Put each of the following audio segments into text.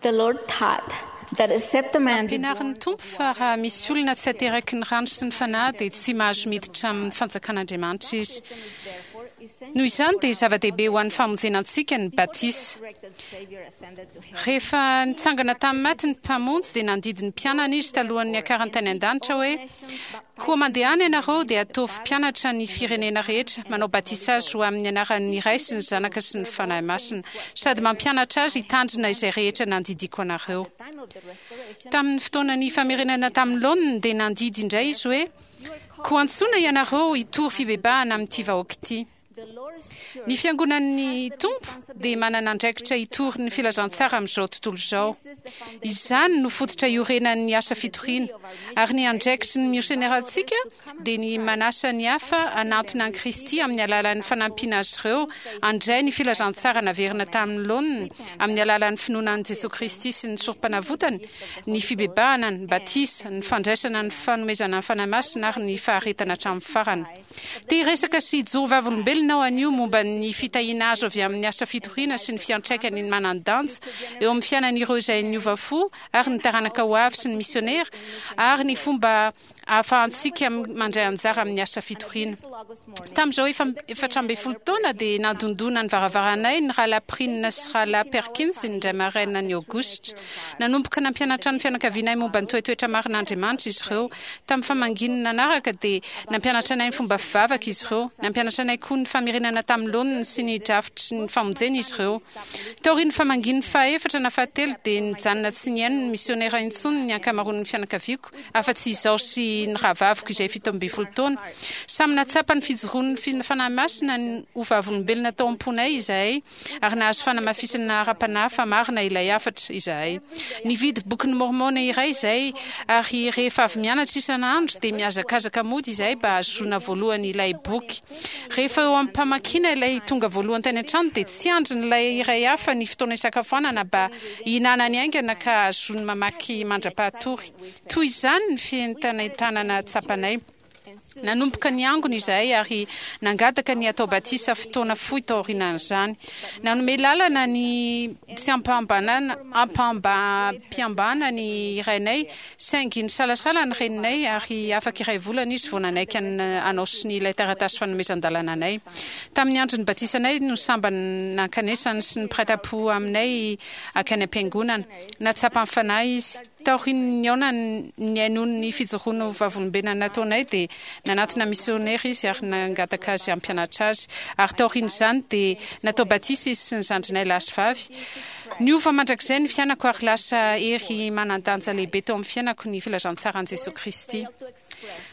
The Lord taught that except a man be Nampianarin'ny born Tompo fa raha misy olona tsy ateraky ny rano sy ny Fanahy dia tsy mahazo miditra amin'ny fanjakan'Andriamanitra izy. Noho izany dia zava-dehibe ho an'ny famonjena antsika ny batisa. Rehefa nitsangana tamin'ny maty ny Mpamonjy dia nandidy ny mpianany Izy talohan'ny niakarany tany an-danitra hoe, Koa mandehana ianareo dia ataovy mpianatra ny firenena rehetra, manao batisa azy ho amin'ny anaran'ny Ray sy ny Zanaka sy ny Fanahy Masina, sady mampianatra azy hitandrina izay rehetra nandidiako anareo. Tamin'ny fotoanan'ny famerenana tamin'ny laoniny dia nandidy indray Izy hoe, Koa antsoina ianareo hitory fibebahana amin'ity vahoaka ity. Ny Fiangonan'ny Tompo dia manana andraikitra hitory ny filazantsara amin'izao tontolo izao. Izany no fototra iorenan'ny asa fitoriana, ary ny andraikitry ny misionerantsika dia ny manasa ny hafa hanantona an'i Kristy amin'ny alalan'ny fanampiana azy ireo handray ny filazantsara naverina tamin'ny laoniny amin'ny alalan'ny finoana an'i Jesoa Kristy sy ny Sorompanavotany, ny fibebahana, ny batisa, ny fandraisana ny fanomezana ny Fanahy Masina ary ny faharetana hatramin'ny farany. Te hiresaka sy hijoro vavolombelona aho anio momba ny fitahiana azo avy amin'ny asa fitoriana sy ny fiantraikany manan-danja eo amin'ny fiainan'ireo izay niova fo ary ny taranaka ho avy sy ny misionera ary ny fomba ahafahantsika mandray anjara amin'ny asa fitoriana. Tamin'izao efa 14 taona dia nandondona ny varavaranay ny Rahalahy Prine sy Rahalahy Perkins indray maraina ny Aogositra. Nanomboka nampianatra ny fianakavianay momba ny toetoetra marin'Andriamanitra izy ireo. Tamin'ny famangiany nanaraka dia nampianatra anay ny fomba fivavaka izy ireo. Nampianatra anay koa ny famerenana tamin'ny laoniny sy ny drafitry ny famonjena izy ireo. Taorian'ny famangiany fahaefatra na fahatelo dia nijanona tsy nihaino ny misionera intsony ny ankamaroan'ny fianakaviako, afa-tsy izaho sy ny rahavaviko izay 17 taona. Samy nahatsapa ny fijoroan'ny Fanahy Masina ho vavolombelona tao am-ponay izahay. ary nahazo fanamafisana ara-panahy fa marina ilay hafatra izahay. Nividy Bokin'i Môrmôna iray izahay, ary rehefa avy mianatra isan'andro dia mihazakazaka mody izahay mba hahazoana voalohany ilay boky. Rehefa eo am-pamakiana ilay tonga voalohany tany an-trano dia tsy andrin'ilay iray hafa ny fotoana hisakafoanana mba hihinanany haingana ka hahazoany mamaky mandra-pahatory. Toy izany ny fientanentanana tsapanay. Nanomboka niangona izahay ary nangataka ny hatao batisa fotoana fohy taorianan'izany. Nanome lalana ny tsy ampaham-piambana ny rainay, saingy nisalasala ny reninay ary afaka iray volana izy vao nanaiky hanao sonia ilay taratasy fanomezan-dalana anay. Tamin'ny andron'ny batisanay no sambany nankanesany sy ny mpiray tampo aminay hankany am-piangonana. Nahatsapa ny Fanahy izy. Taorian'ny nihaonany nihainoany ny fijoroana ho vavolombelona nataonay dia nanatona misionera izy ary nangataka azy hampianatra azy. Ary taorian'izany dia natao batisa izy sy ny zandrinay lahy sy vavy. Niova mandrakizay ny fiainako ary lasa hery manan-danja lehibe teo amin'ny fiainako ny filazantsaran'i Jesoa Kristy.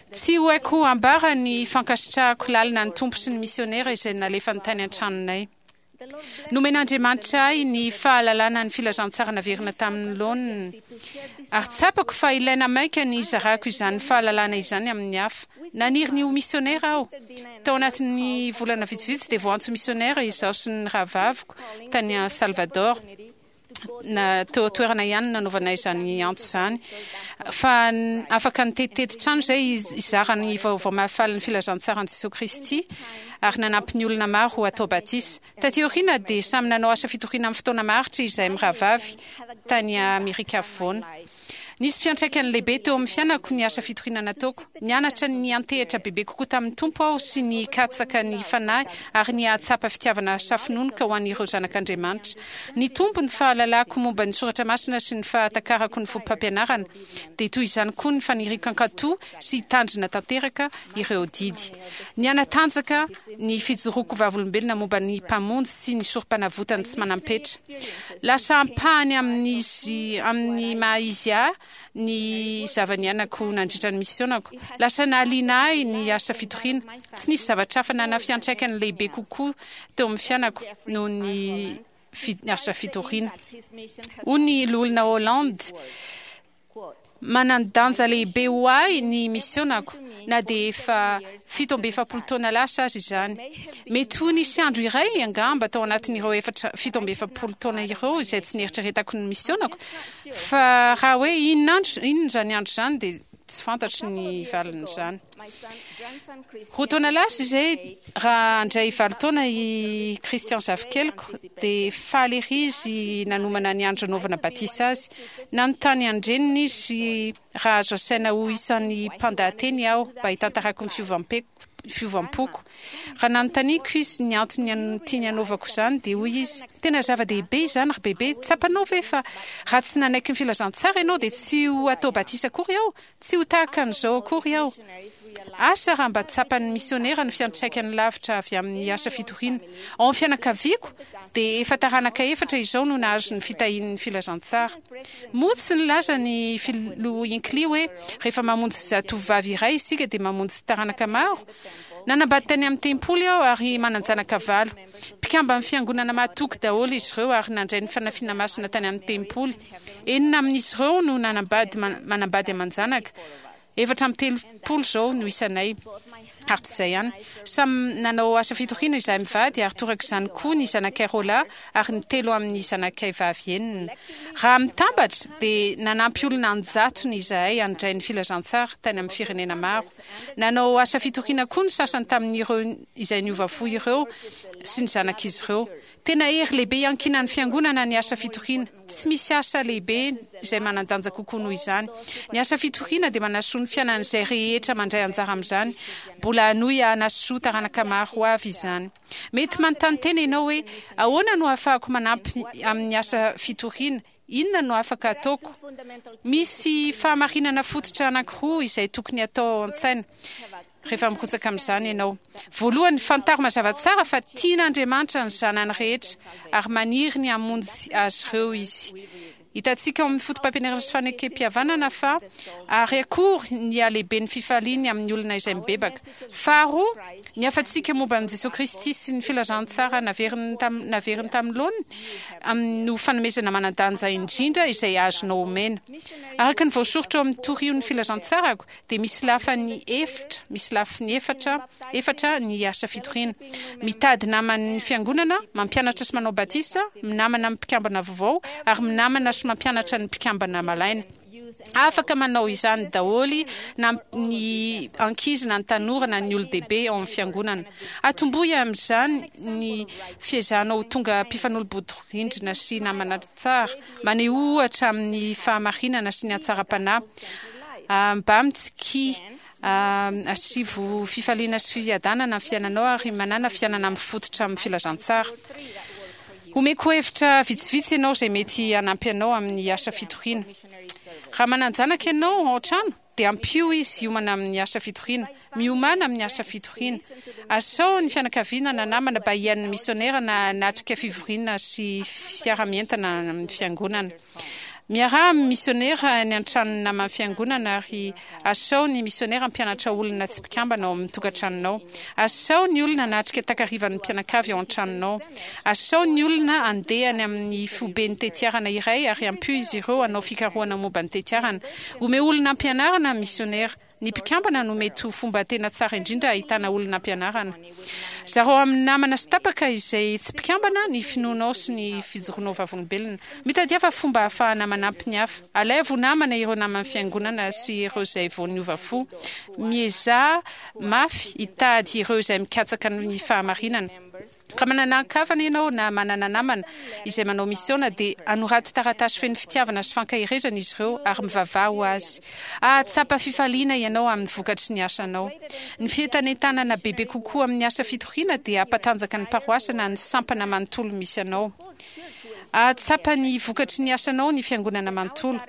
Tsy ho haiko ambara ny fankasitrahako lalina ny Tompo sy ny misionera izay nalefany tany an-tranonay. Nomen'Andriamanitra ahy ny fahalalana ny filazantsara naverina tamin'ny laoniny, ary tsapako fa ilaina mainka ny hizarako izany fahalalana izany amin'ny hafa. Naniry ny ho misionera aho. Tao anatin'ny volana vitsivitsy dia voantso misionera izaho sy ny rahavaviko tany Salvador. na teo an-toerana ihany no nanaovana izany antso izany, fa afaka nitetitety trano izay hizara ny vaovao mahafalin'ny filazantsaran'i Jesoa Kristy ary nanampy ny olona maro ho atao batisa. Taty aoriana dia samy nanao asa fitoriana amin'ny fotoana maharitra izahay mirahavavy tany Amerika Afovoany. Nisy fiantraikany lehibe teo amin'ny fiainako ny asa fitoriana nataoko. Nianatra ny niantehitra bebe kokoa tamin'ny Tompo aho sy ny hikatsaka ny Fanahy ary ny hahatsapa fitiavana safononoka ho an'ireo zanak'Andriamanitra. Nitombo ny fahalalako momba ny soratra masina sy ny fahatakarako ny fotopampianarana, dia toy izany koa ny faniriako hankatò sy hitandrina tanteraka ireo didy. Nihanatanjaka ny fijoroako vavolombelona momba ny Mpamonjy sy ny Sorompanavotany tsy manam-petra. Lasa ampahany amin'izy amin'ny maha-izy ahy ny zava-niainako nandritra ny misiônako. Lasa nahaliana ahy ny asa fitoriana. Tsy nisy zavatra hafa nanana fiantraikany lehibe kokoa teo amin'ny fiainako noho ny asa fitoriana. Hoy ny Loholona Holland, Manan-danja lehibe ho ahy ny misiônako, na dia efa 47 taona lasa aza izany. Mety ho nisy andro iray angamba tao anatin'ireo efatra, 47 taona ireo izay tsy nieritreretako ny misiônako, fa raha hoe inona andro, inona izany andro izany dia. Tsy fantatro ny valin'izany. Roa taona lasa izay, raha handray valo taona i Christian zafikeliko, dia faly ery izy nanomana ny andro hanaovana batisa azy. Nanontany an-dreniny izy raha azo asaina ho isan'ny mpandahateny aho mba hitantarako ny fiovam-poko. Raha nanontaniako izy ny antony tiany hanaovako izany, dia hoy izy, Tena zava-dehibe izany, ry bebe. Tsapanao ve fa raha tsy nanaiky ny filazantsara ianao, dia tsy ho atao batisa akory aho? Tsy ho tahaka an'izao akory aho. Asa raha mba tsapan'ny misionera ny fiantraikany lavitra avy amin'ny asa fitoriana. Ao amin'ny fianakaviako, dia efa taranaka efatra izao no nahazo ny fitahian'ny filazantsara. Moa tsy nilaza ny Filoha Hinckley hoe rehefa mamonjy zatovovavy iray isika dia mamonjy taranaka maro? Nanambady tany amin'ny tempoly aho ary manan-janaka valo. Mpikamban'ny Fiangonana mahatoky daholo izy ireo ary nandray ny fanafiana masina tany amin'ny tempoly. Enina amin'izy ireo no nanambady manambady aman-janaka. 34 izao no isanay. Ary tsy izay ihany. Samy nanao asa fitoriana izahay mivady ary toraka izany koa ny zanakay roalahy ary ny telo amin'ny zanakay vavy enina. Raha mitambatra dia nanampy olona an-jatony izahay handray ny filazantsara tany amin'ny firenena maro. Nanao asa fitoriana koa ny sasany tamin'ireo izay niova fo ireo sy ny zanak'izy ireo. Tena hery lehibe iankinan'ny Fiangonana ny asa fitoriana. Tsy misy asa lehibe izay manan-danja kokoa noho izany. Ny asa fitoriana dia manasoa ny fiainan'izay rehetra mandray anjara amin'izany. Mbola hanohy hanasoa taranaka maro ho avy izany. Mety manontany tena ianao hoe, 'Ahoana no ahafahako manampy amin'ny asa fitoriana? Inona no afaka ataoko? Misy fahamarinana fototra anankiroa izay tokony hatao ao an-tsaina rehefa mirotsaka amin'izany ianao. Voalohany, fantaro mazava tsara fa tian'Andriamanitra ny zanany rehetra ary maniry ny hamonjy azy ireo Izy. Hitantsika ao amin'ny Fotopampianarana sy Fanekempihavanana fa ary akory ny halehiben'ny fifaliany amin'ny olona izay mibebaka. Faharoa, ny hafatsika momba an'i Jesoa Kristy sy ny filazantsara naveriny naveriny tamin'ny laoniny amin'ny no fanomezana manan-danja indrindra izay azonao omena. Araka ny voasoritra ao amin'ny Torio ny Filazantsarako dia misy lafany efitra, misy lafiny efatra, efatra ny asa fitoriana. Mitady naman'ny fiangonana, mampianatra sy manao batisa, minamana amin'ny mpikambana vaovao ary minamana sy mampianatra ny mpikambana malaina. Afaka manao izany daholo na ny ankizy na ny tanora na ny olon-dehibe ao amin'ny fiangonana. Atombohy amin'izany ny fiezahanao ho tonga mpifanolo-bodirindrina sy namana tsara. Manehoa ohatra amin'ny fahamarinana sy ny hatsaram-panahy. Mba mitsikia, asivo fifaliana sy fiadanana ny fiainanao ary manàna fiainana mifototra amin'ny filazantsara. Omeko hevitra vitsivitsy ianao izay mety hanampy anao amin'ny asa fitoriana. Raha manan-janaka ianao ao an-trano, dia ampio izy hiomana amin'ny asa fitoriana. Miomàna amin'ny asa fitoriana. Asao ny fianakaviana na namana mba hihaino ny misionera na hanatrika fivoriana sy fiaraha-mientana amin'ny fiangonana. Miaraha amin'ny misionera any an-tranon'ny naman'ny fiangonana ary asao ny misionera hampianatra olona tsy mpikambana ao amin'ny tokantranonao. Asao ny olona hanatrika takarivan'ny mpianakavy ao an-tranonao. Asao ny olona handeha any amin'ny foiben'ny tetiarana iray ary ampio izy ireo hanao fikarohana momba ny tetiarana. Omeo olona hampianarana ny misionera. Ny mpikambana no mety ho fomba tena tsara indrindra ahitana olona ampianarana. Zarao amin'ny namana sy tapaka izay tsy mpikambana ny finoanao sy ny fijoroanao vavolombelona. Mitadiava fomba ahafahana manampy ny hafa. Alaivo ho namana ireo naman'ny Fiangonana sy ireo izay vao niova fo. Miezaha mafy hitady ireo izay mikatsaka ny fahamarinana. Raha manana ankavana ianao na manana namana izay manao misiona dia anoraty taratasy feno fitiavana sy fankaherezana izy ireo ary mivavaha ho azy. Hahatsapa fifaliana ianao amin'ny vokatry ny asanao. Ny fientanentanana bebe kokoa amin'ny asa fitoriana dia hampatanjaka ny paroasy na ny sampana manontolo misy anao. Hahatsapa ny vokatry ny asanao ny fiangonana manontolo.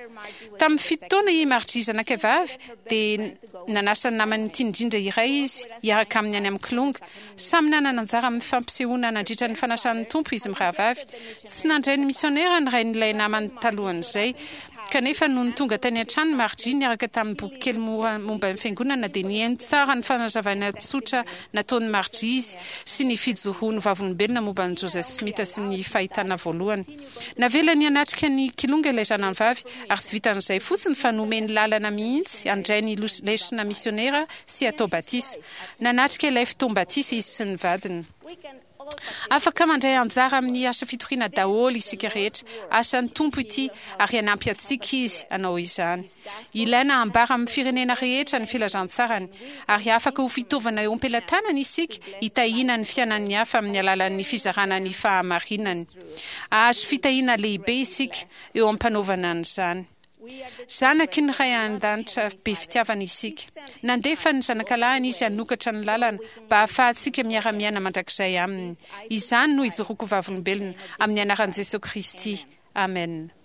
Tamin'ny fito taona i Margie zanakay vavy dia nanasa ny namany tiany indrindra iray izy hiaraka aminy any amin'ny Kilonga. Samy nanana anjara amin'ny fampisehoana nandritra ny fanasan'ny Tompo izy mirahavavy. Tsy nandray ny misionera ny rain'ilay namany talohan'izay. Kanefa nony tonga tany an-trano Margie niaraka tamin'ny bokikely mora momba ny Fiangonana dia nihaino tsara ny fanazavana tsotra nataon'i Margie izy sy ny fijoroany ho vavolombelona momba an'i Joseph Smith sy ny Fahitana Voalohany. Navelany hanatrika ny Kilonga ilay zanany vavy ary tsy vitan'izay fotsiny fa nomeny lalana mihitsy handray ny lesona misionera sy hatao batisa. Nanatrika ilay fotoam-batisa izy sy ny vadiny. Afaka mandray anjara amin'ny asa fitoriana daholo isika rehetra. Asan'ny Tompo ity ary hanampy antsika Izy hanao izany. Ilaina hambara amin'ny firenena rehetra ny filazantsarany ary afaka ho fitaovana eo am-pelatanany isika hitahiana ny fiainan'ny hafa amin'ny alalan'ny fizarana ny fahamarinany. Hahazo fitahiana lehibe isika eo am-panaovana an'izany. Zanaky ny Ray any An-danitra be fitiavana isika. Nandefa ny Zanakalahiny Izy hanokatra ny lalana mba hahafahantsika miara-miaina mandrakizay Aminy. Izany no ijoroako vavolombelona, amin'ny anaran'i Jesoa Kristy, amena.